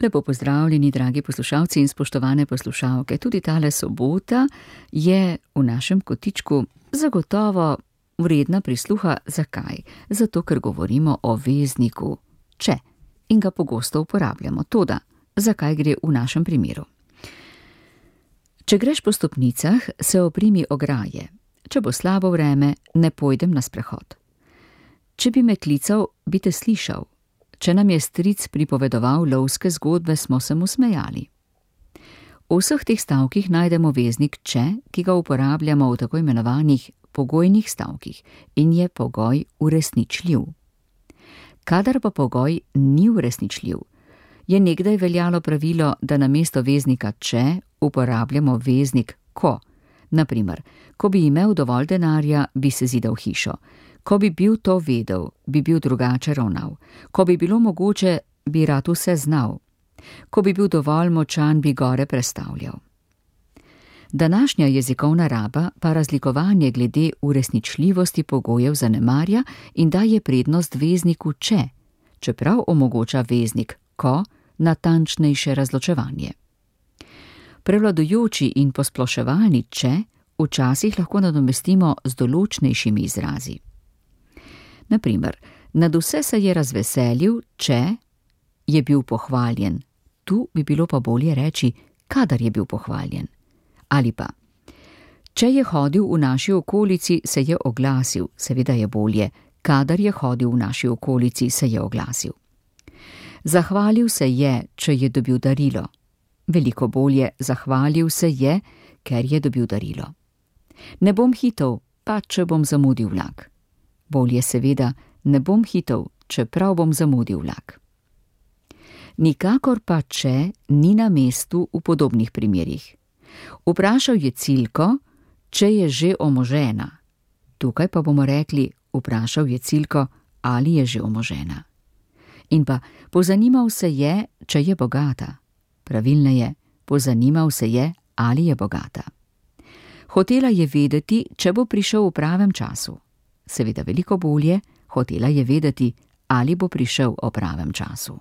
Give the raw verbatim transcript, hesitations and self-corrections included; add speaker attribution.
Speaker 1: Lepo pozdravljeni, dragi poslušalci in spoštovane poslušalke. Tudi tale sobota je v našem kotičku zagotovo vredna prisluha. Zakaj? Zato, ker govorimo o vezniku če in ga pogosto uporabljamo. Toda, zakaj gre v našem primeru? Če greš po stopnicah, se oprimi ograje. Če bo slabo vreme, ne pojdem na sprehod. Če bi me klical, bi te slišal. Če nam je stric pripovedoval lovske zgodbe, smo se mu smejali. V vseh teh stavkih najdemo veznik če, ki ga uporabljamo v tako imenovanih pogojnih stavkih in je pogoj uresničljiv. Kadar pa pogoj ni uresničljiv, je nekdaj veljalo pravilo, da namesto veznika če uporabljamo veznik ko. Naprimer, ko bi imel dovolj denarja, bi se zidal hišo. Ko bi bil to vedel, bi bil drugače ravnal. Ko bi bilo mogoče, bi rad vse znal. Ko bi bil dovolj močan, bi gore prestavljal. Današnja jezikovna raba pa razlikovanje glede uresničljivosti pogojev zanemarja in daje prednost vezniku če, čeprav omogoča veznik ko natančnejše razločevanje. Prevladujoči in posploševalni če včasih lahko nadomestimo z določnejšimi izrazi. Naprimer, nad vse se je razveselil, če je bil pohvaljen. Tu bi bilo pa bolje reči, kadar je bil pohvaljen. Ali pa, če je hodil v naši okolici, se je oglasil. Seveda je bolje, kadar je hodil v naši okolici, se je oglasil. Zahvalil se je, če je dobil darilo. Veliko bolje, zahvalil se je, ker je dobil darilo. Ne bom hitel, pa če bom zamudil vlak. Bolje seveda, ne bom hitel, čeprav bom zamudil vlak. Nikakor pa če ni na mestu v podobnih primerih. Vprašal je Cilko, če je že omožena. Tukaj pa bomo rekli, vprašal je Cilko, ali je že omožena. In pa, pozanimal se je, če je bogata. Pravilneje, pozanimal se je, ali je bogata. Hotela je vedeti, če bo prišel v pravem času. Seveda veliko bolje, hotela je vedeti, ali bo prišel v pravem času.